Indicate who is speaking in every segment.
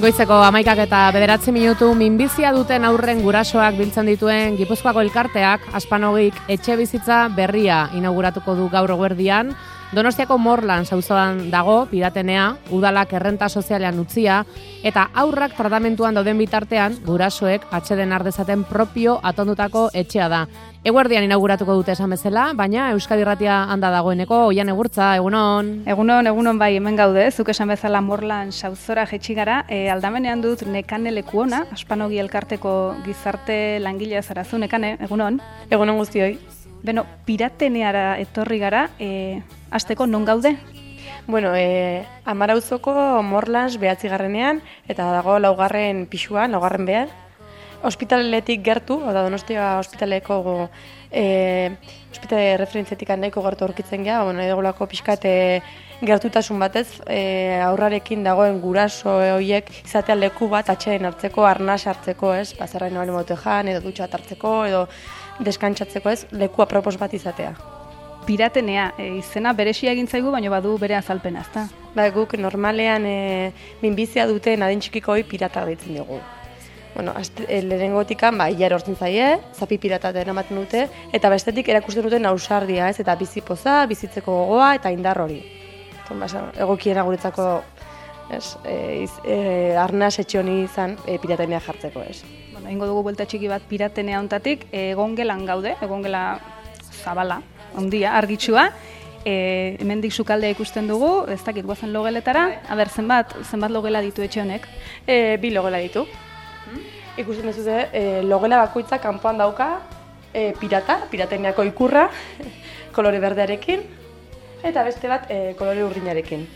Speaker 1: Goizeko 11:09 minbizia duten aurren gurasoak biltzen dituen Gipuzkoako elkarteak Aspanogik etxe bizitza berria inauguratuko du gaur eguerdian. Donostiako Morlands auzoan dago, Piratenea, udalak errenta sozialean utzia, eta aurrak tratamentuan dauden bitartean, gurasoek atseden ardezaten propio atondutako etxea da. Eguerdian inauguratuko dute esan bezala, baina Euskadi Irratia handa dagoeneko, Oian Egurtza, egunon.
Speaker 2: Egunon bai, hemen gaude, zuk esan bezala Morlands auzora jetxi gara, aldamenean dut Nekane lekuona, Aspanogi elkarteko gizarte langilea zarazu, Nekane, egunon.
Speaker 3: Egunon guztioi.
Speaker 2: Beno, Pirateneara etorri gara, hasteko non gaude?
Speaker 3: Bueno, Amarauzoko Morlands 9. eta dago 4. pisuan, 4. behar. Ospitaletik gertu, oda Donostia ospitaleko ospitale referentziatik nahiko gertu aurkitzen gea, bueno, edagolako pixkat gertutasun batez, aurrarekin dagoen guraso horiek izatea leku bat atxeden hartzeko, arnas hartzeko, ez? Bazarrain hori motejan, edo dutxa bat hartzeko, edo deskantzatzeko, ez? Leku apropos bat izatea.
Speaker 2: Piratenea, izena beresia egin zaigu, baina badu bere azalpena, ezta?
Speaker 3: Ba, guk normalean minbizia duten adin txikiko hori pirata deitzen dugu. Bueno, lehenengotikan, ia erortzen zaie, zapi pirata ematen dute, eta bestetik erakusten duten ausardia, ez? Eta bizipoza, bizitzeko gogoa eta indar hori. Egokiena guretzako arnaz etxe honi izan piratenea jartzeko, ez?
Speaker 2: Bueno, ingo dugu buelta txiki bat Piratenea hontatik, egongelan gaude, egongela zabala, ondia, argitsua. Hemendik sukaldea ikusten dugu, ez dakit guazen logeletara. Aber, zenbat logela ditu etxe honek?
Speaker 3: 2 logela ditu. Ikusten duzute, logela bakoitza kanpoan dauka pirateneako ikurra, kolore berdearekin, eta beste bat kolore urdinarekin.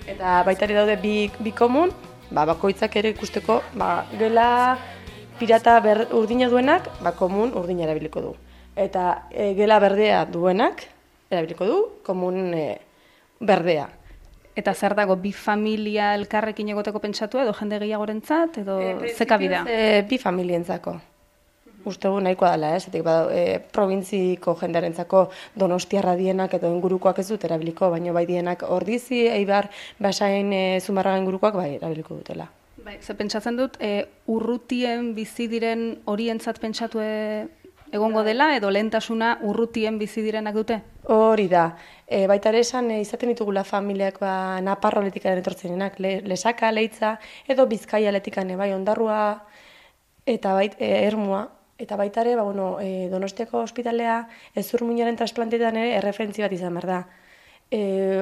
Speaker 3: Eta baitari daude bi komun, bakoitzak ere ikusteko, gela pirata urdina duenak, komun urdina erabiliko du. Eta gela berdea duenak, erabiliko du, komun berdea.
Speaker 2: Eta zer dago, bi familia elkarrekin egoteko pentsatu edo jende gehiagorentzat edo zeka bida?
Speaker 3: Bi familientzako. Ustegu nahikoa dela, ez? Provintziko jendearentzako Donostiarra dienak edo ingurukoak ez dut erabiliko, baina bai dienak Ordizi, Eibar, Basain, Zumarraga ingurukoak bai erabiliko dutela.
Speaker 2: Bai, ze pentsatzen dut, urrutien bizi diren horientzat pentsatu egongo dela edo lehentasuna urrutien bizi direnak dute?
Speaker 3: Hori da. Baita ere esan izaten ditugula familiak Naparroletik etortzenenak, Lesaka, Leitza, edo Bizkaia letikan bai Ondarrua eta Ermua. Eta baita ere, Donostiako ospitalea Ezurmuinaren transplantetan ere erreferentzi bat izan behar da.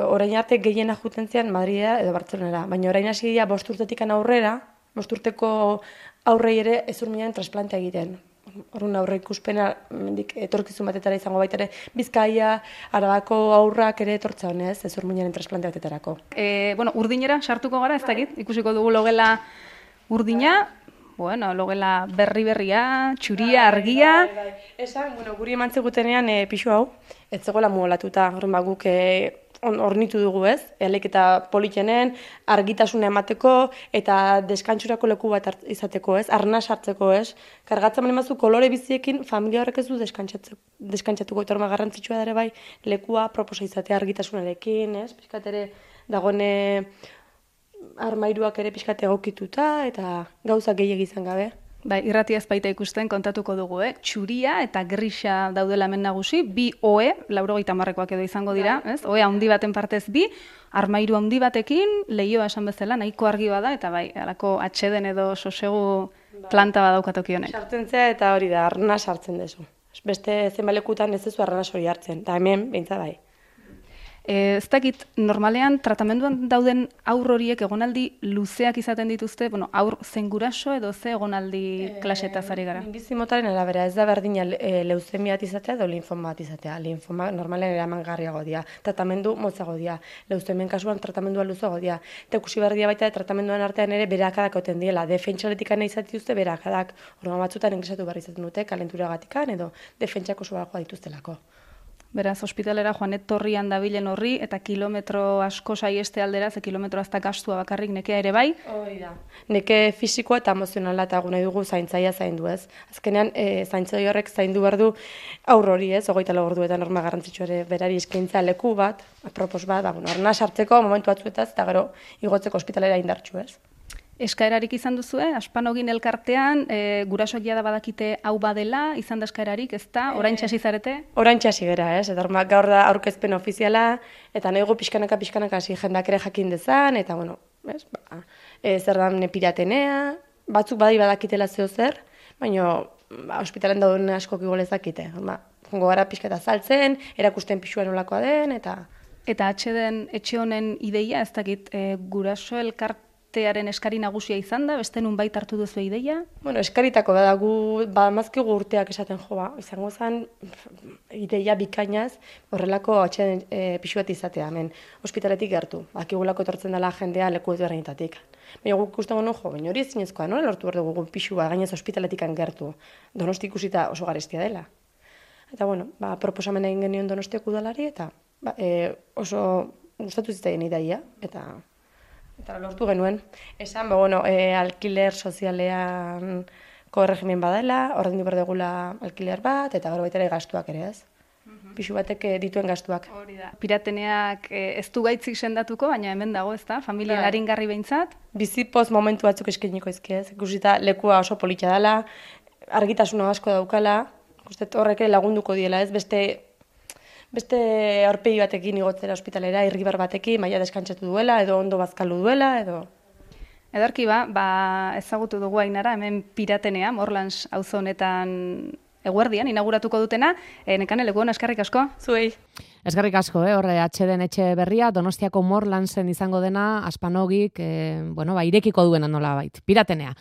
Speaker 3: Orain arte gehiena juten zian Madridea edo Bartzelonara, baina orain hasi dira 5 urtetik aurrera, 5 urteko aurrei ere Ezurmuinaren transplantea egiten. Horren aurre ikuspena etorkizun batetara izango baita ere Bizkaia, Arabako aurrak ere etortza honez, Ezurmuinaren transplante batetarako.
Speaker 2: Urdinera sartuko gara, ez dakit, ikusiko dugu logela urdina, logela berria, txuria, argia.
Speaker 3: Esan, guri eman zegutenean pixu hau, ez zegoela muolatuta, horren guk ornitu dugu ez, eta politenen, argitasuna emateko eta deskantsurako leku bat izateko ez, arnaz hartzeko ez. Kargatzen mazu kolore biziekin familia horrek ez du deskantzatuko, eta horma garrantzitsua da ere bai, lekua proposa izatea argitasunarekin, ez, pixkat ere dagoen armairuak ere pixkat egokituta eta gauza gehiegi izan gabe.
Speaker 2: Bai, irratia ez baita ikusten kontatuko dugu, txuria eta grisa daudela hemen nagusi, bi oe, 90ekoak edo izango dira, ez? Oe handi baten partez bi, armairu handi batekin, lehioa esan bezala, nahiko argi bada, eta bai, alako atxeden edo sosegu planta badaukatoki honek.
Speaker 3: Sartzen zea eta hori da, arnaz hartzen dezu. Beste zenbalekutan ez dezu arnaz hori hartzen, eta hemen, beintza bai.
Speaker 2: Ez dakit, normalean, tratamenduan dauden aur horiek egonaldi luzeak izaten dituzte, aur zen guraso edo ze egonaldi klasetaz ari gara?
Speaker 3: Minbizi motaren arabera, ez da berdina leuzemia bat izatea edo linfoma bat izatea. Linfoma normalean eramangarriago dira, tratamendu motzago dira, leuzemien kasuan tratamendua luzago dira. Eta ikusi berdia baita tratamenduan artean ere berakadak oten diela, defentsaletik izatituzte berakadak, horma batzutan ingresatu behar izaten dute, kalenturagatikan edo defentsako subagoa dituztelako.
Speaker 2: Beraz, ospitalera joan etorrian dabilen horri, eta kilometro asko saieste aldera, ze kilometro azta gastua bakarrik nekea ere bai?
Speaker 3: Hori da. Neke fisikoa eta emozionala eta nahi dugu zaintzaia zaindu ez. Azkenean, zaintzai horrek zaindu behar du aur hori ez, 24 orduetan norma garrantzitsua ere berari eskaintza leku bat, apropos bat, arna sartzeko momentu batzuetaz, eta gero igotzeko ospitalera indartsu ez.
Speaker 2: Eskaerarik izan duzue, Aspanogin elkartean, gurasoak jada badakite hau badela, izan da eskaerarik, ez da, orain txasi zarete?
Speaker 3: Orain txasi gera, ez? Eta gaur da aurkezpen ofiziala, eta nahigu pixkanaka hasi jendak ere jakin dezan, eta bueno, ez? Zer da piratenea, batzuk badakitela zeo zer, baina ospitalen dauden askok igual ezakite. Jongo gara pixka eta saltzen, erakusten pixua nolakoa den, eta...
Speaker 2: Eta etxe honen ideia, ez dakit, guraso elkartearen eskari nagusia izan da, beste nun bait hartu duzu ideia?
Speaker 3: Bueno, eskaritako da, mazkigu urteak esaten izango zen ideia bikainaz, horrelako atxeden pixu bat izatea, hemen, ospitaletik gertu, akigulako etortzen dela jendea leku ezberdinetatik. Baina guk ikusten genuen, baina hori ezinezkoa, nola lortu behar dugu pixua gainez ospitaletik gertu, Donosti ikusita oso garestia dela. Eta bueno, proposamen egin genion Donostiako udalari, eta oso gustatu zitzaien ideia, eta lortu genuen. Esan, alkiler sozialean erregimen badela, ordaindu behar dugula alkiler bat, eta gero baita ere gastuak ere, ez? Pixu batek dituen gastuak.
Speaker 2: Hori da. Pirateneak ez du gaitzik sendatuko, baina hemen dago, ez da? Familia aringarri behintzat?
Speaker 3: Bizipoz momentu batzuk eskainiko ezkiez. Ikusita lekua oso politxa dela, argitasuna asko daukala, horrek lagunduko diela, ez? Beste aurpegi batekin igotzera ospitalera, irribar batekin, maila deskantzatu duela, edo ondo bazkalu duela, edo...
Speaker 2: Edarki ezagutu dugu Ainara, hemen piratenea, Morlans auzo honetan eguerdian, inauguratuko dutena. Nekane, leku hona, eskerrik asko?
Speaker 3: Zuei.
Speaker 1: Eskerrik asko, horre atxeden etxe berria, Donostiako Morlansen izango dena, Aspanogik, irekiko duena nola bait, piratenea.